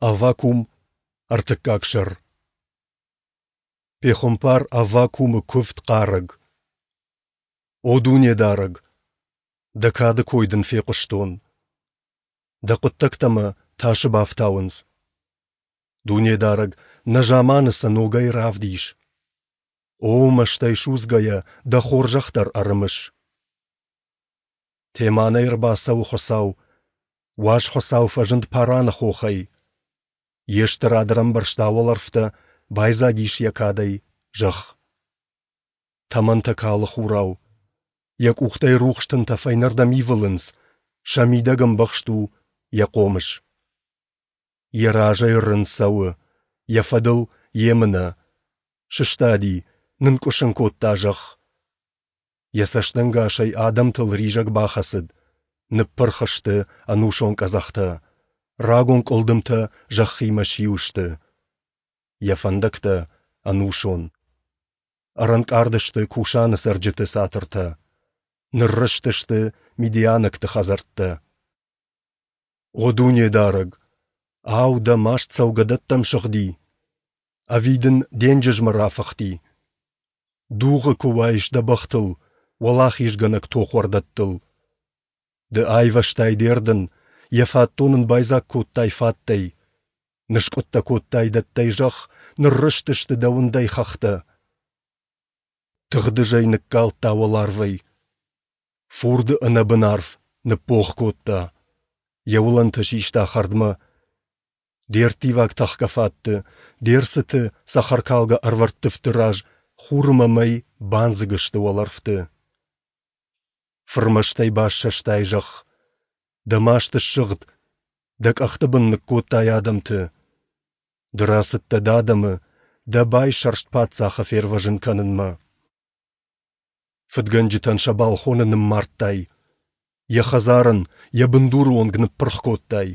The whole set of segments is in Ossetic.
Аввакум, ӕртыккаг сӕр. Пехуымпар Аввакумы куывд хъарӕг. О Дунедарӕг, Дӕ кады кой Дын фехъуыстон. Дӕ хъуыддӕгтӕ мӕ тасы бафтауынц. Дунедарӕг, нӕ заманы сӕ ногӕй равдис. О, мӕстӕй судзгӕйӕ Дӕ хорзӕх дӕр ӕрымыс. Теманӕй ӕрбацӕуы Хуыцау, Уаз Хуыцау фӕзынд Параны хохӕй. Йе стырад ӕрӕмбӕрзта уӕлӕрвтӕ, байдзаг ис йӕ кадӕй зӕхх. Тӕмӕнтӕ калы хурау. Йӕ къухтӕй рухс тынтӕ фӕйнӕрдӕм ивылынц, сӕ мидӕг ӕмбӕхст у йӕ хъомыс. Йӕ разӕй рын цӕуы, йӕ фӕдыл емынӕ. Сыстади, нынкъуысын кодта зӕхх. Йӕ цӕстӕнгасӕй адӕмтыл ризӕг бахӕцыд, ныппырх сты ӕнусон къӕдзӕхтӕ, рагон къуылдымтӕ зӕххимӕ сиу сты. Йӕ фӕндӕгтӕ ӕнусон. Ӕрӕнкъард сты Кушаны цӕрджыты цатыртӕ. Ныррызтысты мидианӕгты хӕдзӕрттӕ. О Дунедарӕг! Ау, дӕ маст цӕугӕдӕттӕм сыгъди? Ӕви дын денджызмӕ рафыхти? Дугъы куы уаис дӕ бӕхтыл, уӕлахизгӕнӕг тохуӕрдӕттыл. Ды айвӕзтай де рдын, йӕ фатдон ын байдзаг кодтай фаттӕй. Ныскъуыдтӕ кодтай дӕттӕй зӕхх, ныррызтысты дӕ уындӕй хӕхтӕ. Тыгъдызӕй ныккалдта уӕларвӕй. Фурды ӕнӕбын арф ныббогъ кодта. Йӕ уылӕнтӕ систа хӕрдмӕ. Де рттиваг тӕхгӕ фатты, де рцыты цӕхӕркалгӕ ӕрвӕрттывты раз хур ӕмӕ мӕй бандзыг сты уӕлӕрвты. Фырмӕстӕй бассӕстай зӕхх. Дӕ маст ссыгъд, дӕ къӕхты бын ныккодтай адӕмты. Ды рацыдтӕ дӕ адӕмы, дӕ байсӕрст паддзахы фервӕзын кӕнынмӕ. Фыдгӕнджытӕн сӕ балхоны ныммардтай, йӕ хӕдзар ын йӕ бындуры онг ныппырх кодтай.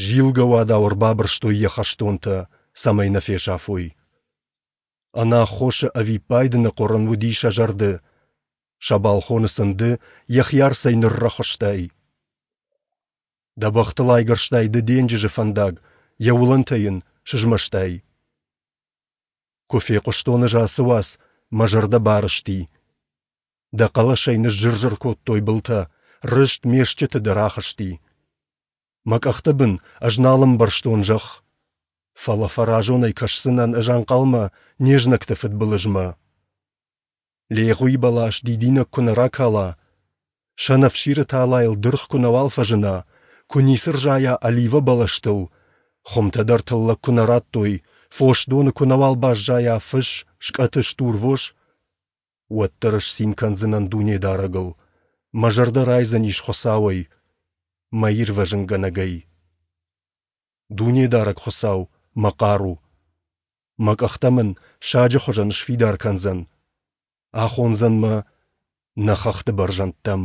Зилгӕ уадау ӕрбабырстой йӕ хӕстонтӕ, цӕмӕй нӕ фесӕфой. Ӕнаххосы ӕвиппайды ныхъуырын уыди сӕ зӕрды. Сӕ балхоны сын ды йӕхи арцӕй ныррӕхуыстай. Дӕ бӕхтыл айгӕрстай ды денджызы фӕндаг, йӕ уылӕнтӕ йын сызмӕстай. Куы фехъуыстон ӕз ацы уац, мӕ зӕрдӕ барызти. Дӕ хъӕлӕсӕй ныззыр-зыр кодтой былтӕ, рыст ме стджыты дӕр ахызти. Мӕ къӕхты бын ӕз нал ӕмбӕрстон зӕхх. Фӕлӕ фӕразонӕй кӕсдзынӕн ӕз ӕнхъӕлмӕ не знӕгты фыдбылызмӕ. Легъуи бӕлас дидинӕг куы нӕ ракала, сӕнӕфсиры талайыл дыргъ куы нӕуал фӕзына, куы ницы рзайа оливӕ бӕлӕстыл, хуымтӕ дӕр тыллӕг куы нӕ радтой, фос доны куы нӕуал баззайа фыс, скъӕты стурвос, уӕддӕр ӕз цин кӕндзынӕн Дунедарӕгыл, мӕ зӕрдӕ райдзӕнис Хуыцауӕй, мӕ Ирвӕзынгӕнӕгӕй. Дунедарӕг Хуыцау, мӕ хъару! Мӕ къӕхтӕ мын саджы хуызӕн сфидар кӕндзӕн, ахондзӕн мӕ нӕ хӕхты бӕрзӕндтӕм.